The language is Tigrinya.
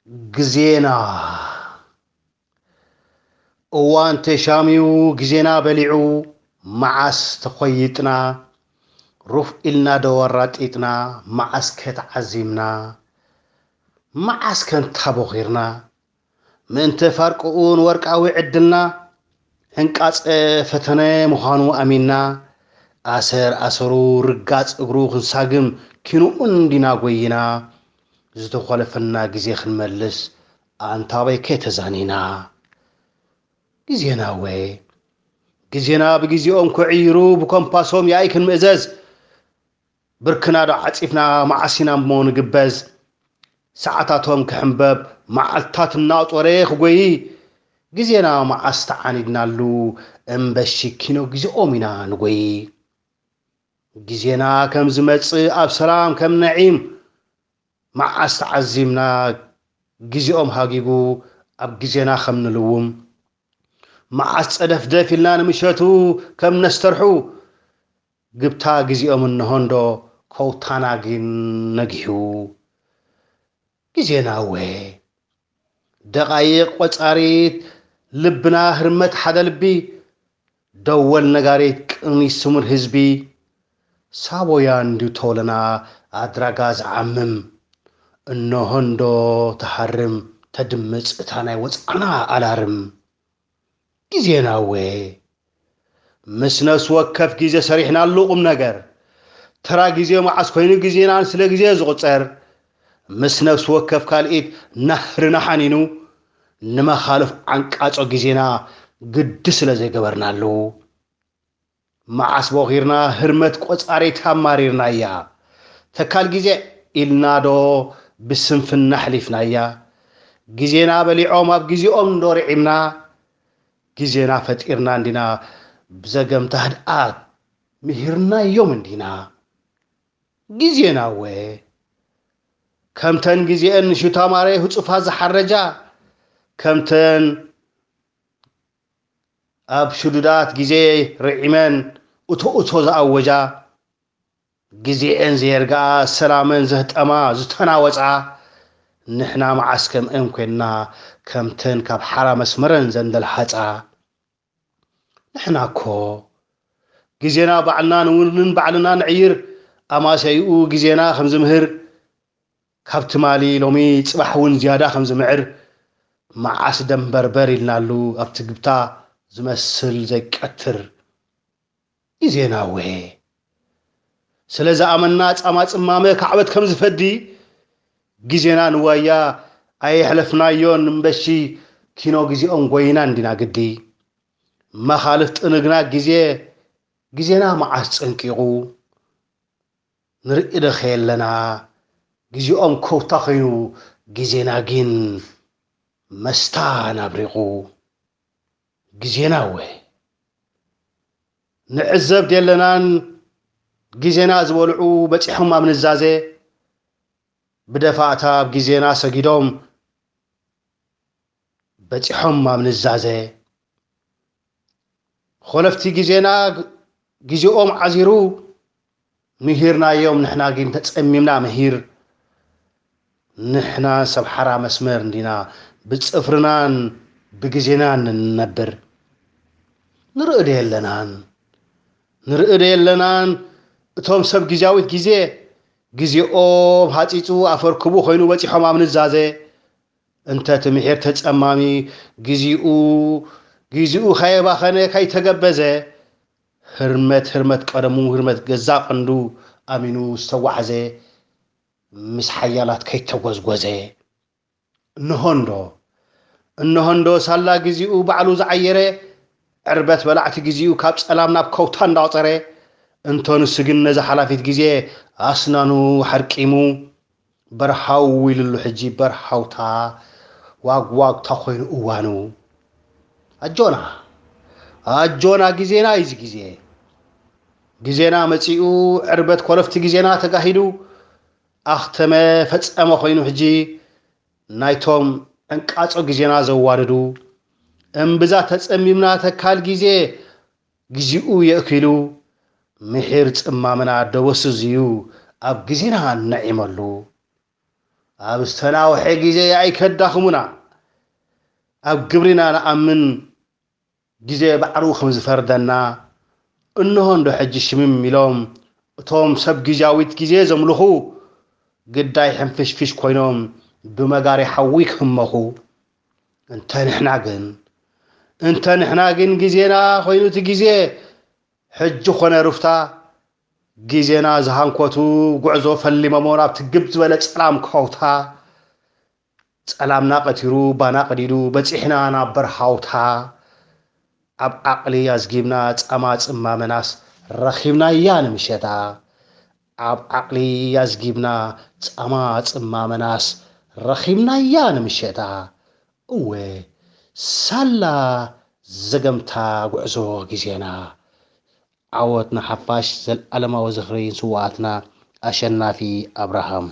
ግዜና። እዋን ተሻሚዩ፣ ግዜና በሊዑ፣ መዓስ ተኾይጥና፣ ሩፍ ኢልና ዶ ወራጢጥና፣ መዓስ ከ ተዓዚምና፣ መዓስ ከ እንታ ቦኺርና፣ ምእንተ ፋርቅኡ ንወርቃዊ ዕድልና፣ ዕንቃጸ ፈተነ ምዃኑ ኣሚንና፣ ኣሰር ኣሰሩ ርጋጽ እግሩ ክንሳግም ኪንኡ እንዲና ጎይና፣ ዝተኾለፈና ግዜ ክንመልስ ኣንታበይ ከ ተዛኒና። ግዜና እወ፣ ግዜና ብግዜኦም ክዕይሩ ብኮምፓሶም ያኢ ክንምእዘዝ፣ ብርክና ዶ ዓጺፍና መዓስ ኢና እሞ ንግበዝ? ሰዓታቶም ክሕንበብ መዓልታት እናቖጸረ ክጎዪ፣ ግዜና መዓስ ተዓኒድናሉ እምበሺ ኪኖ ግዜኦም ኢና ንጎዪ። ግዜና ከም ዝመጽእ ኣብ ሰላም ከም ነዒም፣ መዓስ ተዓዚምና ግዜኦም ሃጊጉ ኣብ ግዜና ከም ንልውም፣ መዓስ ጸደፍደፍ ኢልና ንምሸቱ ከም ነስተርሑ፣ ግብታ ግዜኦም እንሆ እንዶ ከውታና ግን ነጊሑ። ግዜና እወ፣ ደቓይቕ ቆጻሪት ልብና ህርመት ሓደ ልቢ፣ ደወል ነጋሪት ቅኒ ስሙር ህዝቢ፣ ሳቦያ እንድዩ ተወለና ኣድራጋ ዝዓምም፣ እንሆ እንዶ ትሃርም ተድምጽ እታ ናይ ወጽዓና ኣላርም። ግዜና እወ፣ ምስ ነፍሲ ወከፍ ግዜ ሰሪሕናሉ ቁም ነገር፣ ተራ ግዜ መዓስ ኮይኑ ግዜና ስለ ግዜ ዝቑጸር፣ ምስ ነፍሲ ወከፍ ካልኢት ናህርና ሓኒኑ፣ ንመኻልፍ ዓንቃጾ ግዜና ግዲ ስለ ዘይገበርናሉ፣ መዓስ ቦኺርና ህርመት ቆጻሪት ኣማሪርናያ። ተካል ግዜ ኢልና ዶ ብስንፍና ኣሕሊፍናያ። ግዜና በሊዖም ኣብ ግዜኦም ዶ ርዒምና። ግዜና ፈጢርና እንዲና ብዘገምታ ህድኣት ምሂርናዮም እንዲና። ግዜና እወ፣ ከምተን ግዜአን ንሽታማረ ህጹፋት ዝሓረጃ፣ ከምተን ኣብ ሽዱዳት ግዜ ርዒመን እቶ እቶ ዝኣወጃ፣ ግዜኤን ዘየርግኣ ሰላመን ዘህጠማ ዝተናወጻ፣ ንሕና መዓስ ከምአን ኮይንና ከምተን ካብ ሓራ መስመረን ዘንደልሓጻ? ንሕና እኮ ግዜና ባዕልና ንውንን ባዕልና ንዕይር፣ ኣማሰይኡ ግዜና ከም ዝምህር፣ ካብ ትማሊ ሎሚ ጽባሕ እውን ዝያዳ ከም ዝምዕር፣ መዓስ ደንበርበር ኢልናሉ ኣብቲ ግብታ ዝመስል ዘይቀትር ግዜና እወ። ስለ ዝኣመና ጻማ ጽማመ ካዕበት ከም ዝፈዲ፣ ግዜና ንዋያ ኣየሕለፍናዮን እምበሺ፣ ኪኖ ግዜኦም ጎይና እንዲና ግዲ። መኻልፍ ጥንግና ግዜ፣ ግዜና መዓስ ጸንቂቑ፣ ንርኢ ዶ ኸየለና፣ ግዜኦም ከውታ ኸይኑ፣ ግዜና ግን መስታን ኣብሪቑ። ግዜና እወ፣ ንዕዘብ ደለናን፣ ግዜና ዝበልዑ በጺሖም ኣብ ንዛዜ፣ ብደፋእታ ኣብ ግዜና ሰጊዶም፣ በጺሖም ኣብ ንዛዘ። ኾለፍቲ ግዜና ግ-፣ ግዜኦም ዓዚሩ፣ ምሂርናዮም፣ ንሕና ግን ተጸሚምና ምሂር። ንሕና ሰብ ሓራ መስመር እንዲና፣ ብጽፍርናን ብግዜናን ንነብር። ንርኢ ዶ የለናን? ንርኢ ዶ የለናን? እቶም ሰብ ግዜያዊት ግዜ፣ ግዜኦም ሃጺጹ ኣፈርክቡ ኮይኑ በጺሖም ኣብ ንዛዘ። እንተ እቲ ምሒር ተጸማሚ፣ ግዜኡ፣ ግዜኡ ከየባኸነ ከይተገበዘ፣ ህርመት፣ ህርመት ቀደሙ፣ ህርመት ገዛ ቀንዱ ኣሚኑ ዝተጓዕዘ፣ ምስ ሓያላት ከይተጎዝጎዘ። እንሆ እንዶ፣ እንሆ እንዶ ሳላ ግዜኡ ባዕሉ ዝዓየረ፣ ዕርበት በላዕቲ ግዜኡ ካብ ጸላም ናብ ከውታ እንዳቑጸረ፣ እንቶ ንሱ ግን ነዛ ሓላፊት ግዜ ኣስናኑ ሓርቂሙ፣ በርሃው ኢሉሉ ሕጂ በርሃውታ ዋግዋግታ ኮይኑ እዋኑ። ኣጆና፣ ኣጆና ግዜና እዩ እዚ ግዜ። ግዜና መጺኡ፣ ዕርበት ኮለፍቲ ግዜና ተጋሂዱ፣ ኣኽተመ ፈጸመ ኮይኑ ሕጂ ናይቶም ዕንቃጾ ግዜና ዘዋድዱ። እምብዛ ተጸሚምና ተካል ግዜ፣ ግዜኡ የእኪሉ፣ ምሒር ጽማምና ደበስዝ እዩ ኣብ ግዜና ነዒመሉ። ኣብ ዝተናውሐ ግዜ ኣይከዳኽሙና። ኣብ ግብሪና ንኣምን፣ ግዜ ባዕሉ ከም ዝፈርደና። እንሆ እንዶ ሕጂ ሽምም ኢሎም እቶም ሰብ ግዜያዊት ግዜ ዘምልኹ፣ ግዳይ ሕንፍሽፍሽ ኮይኖም ብመጋሪ ሓዊ ክህመኹ። እንተ ንሕና ግን፣ እንተ ንሕና ግን ግዜና ኮይኑ እቲ ግዜ፣ ሕጂ ኾነ ሩፍታ፣ ግዜና ዝሃንኮቱ ጉዕዞ ፈሊሞሞ ናብ ትግብ ዝበለ ጸላም ከውታ። ጸላምና ቀቲሩ ባና ቀዲዱ በጺሕና ናብ በርሃውታ። ኣብ ዓቕሊ ኣዝጊብና ጻማ ጽማመናስ ረኺብናያ ንምሸታ። ኣብ ዓቕሊ ኣዝጊብና ጻማ ጽማመናስ ረኺብናያ ንምሸታ። እወ፣ ሳላ ዘገምታ ጉዕዞ ግዜና። ዓወት ንሓፋሽ፣ ዘልኣለማዊ ዝኽሪ ንስውኣትና። ኣሸናፊ ኣብርሃም።